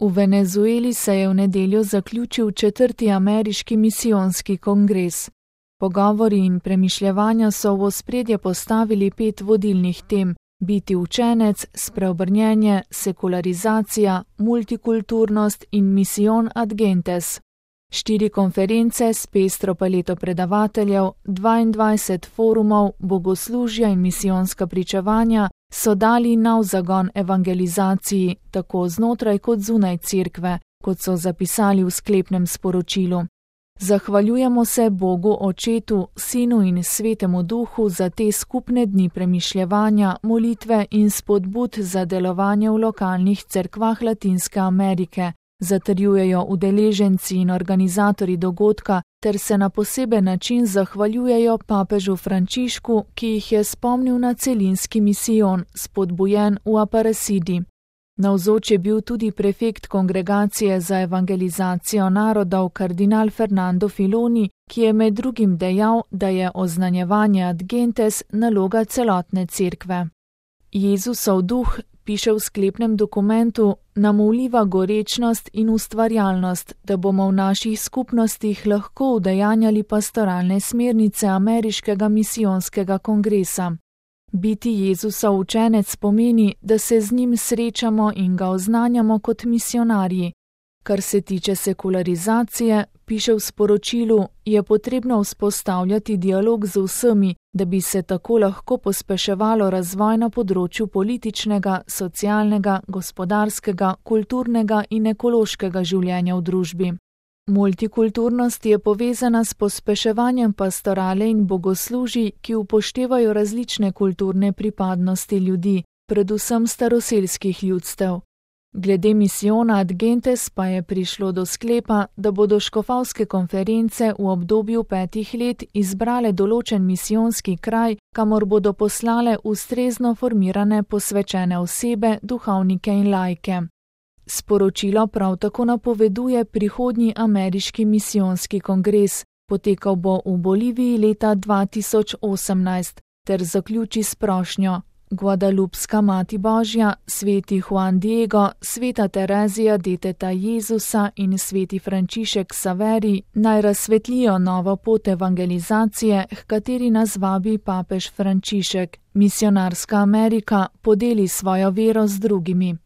V Venezueli se je v nedeljo zaključil 4. ameriški misijonski kongres. Pogovori in premišljevanja so v ospredje postavili 5 vodilnih tem: biti učenec, spreobrnjenje, sekularizacija, multikulturnost in misijon ad gentes. 4 konference s pestro paleto predavateljev, 22 forumov, bogoslužja in misijonska pričevanja so dali nov zagon evangelizaciji, tako znotraj kot zunaj cerkve, kot so zapisali v sklepnem sporočilu. Zahvaljujemo se Bogu Očetu, Sinu in Svetemu Duhu za te skupne dni premišljevanja, molitve in spodbud za delovanje v lokalnih cerkvah Latinske Amerike, zatrjujejo udeleženci in organizatorji dogodka ter se na poseben način zahvaljujejo papežu Frančišku, ki jih je spomnil na celinski misijon, spodbujen v Aparecidi. Navzoč je bil tudi prefekt Kongregacije za evangelizacijo narodov kardinal Fernando Filoni, ki je med drugim dejal, da je oznanjevanje ad gentes naloga celotne cerkve. Jezusov duh, piše v sklepnem dokumentu, nam vliva gorečnost in ustvarjalnost, da bomo v naših skupnostih lahko udejanjali pastoralne smernice ameriškega misijonskega kongresa. Biti Jezusov učenec pomeni, da se z njim srečamo in ga oznanjamo kot misionarji. Kar se tiče sekularizacije, piše v sporočilu, je potrebno vzpostavljati dialog z vsemi, da bi se tako lahko pospeševalo razvoj na področju političnega, socialnega, gospodarskega, kulturnega in ekološkega življenja v družbi. Multikulturnost je povezana s pospeševanjem pastorale in bogoslužij, ki upoštevajo različne kulturne pripadnosti ljudi, predvsem staroselskih ljudstev. Glede misijona ad gentes pa je prišlo do sklepa, da bodo škofovske konference v obdobju 5 let izbrale določen misijonski kraj, kamor bodo poslale ustrezno formirane posvečene osebe, duhovnike in laike. Sporočilo prav tako napoveduje prihodnji ameriški misijonski kongres, potekal bo v Boliviji leta 2018, ter zaključi s prošnjo: Guadalupska Mati Božja, sveti Juan Diego, sveta Terezija deteta Jezusa in sveti Frančišek Saveri naj razsvetlijo novo pot evangelizacije, h kateri nas vabi papež Frančišek. Misionarska Amerika podeli svojo vero z drugimi.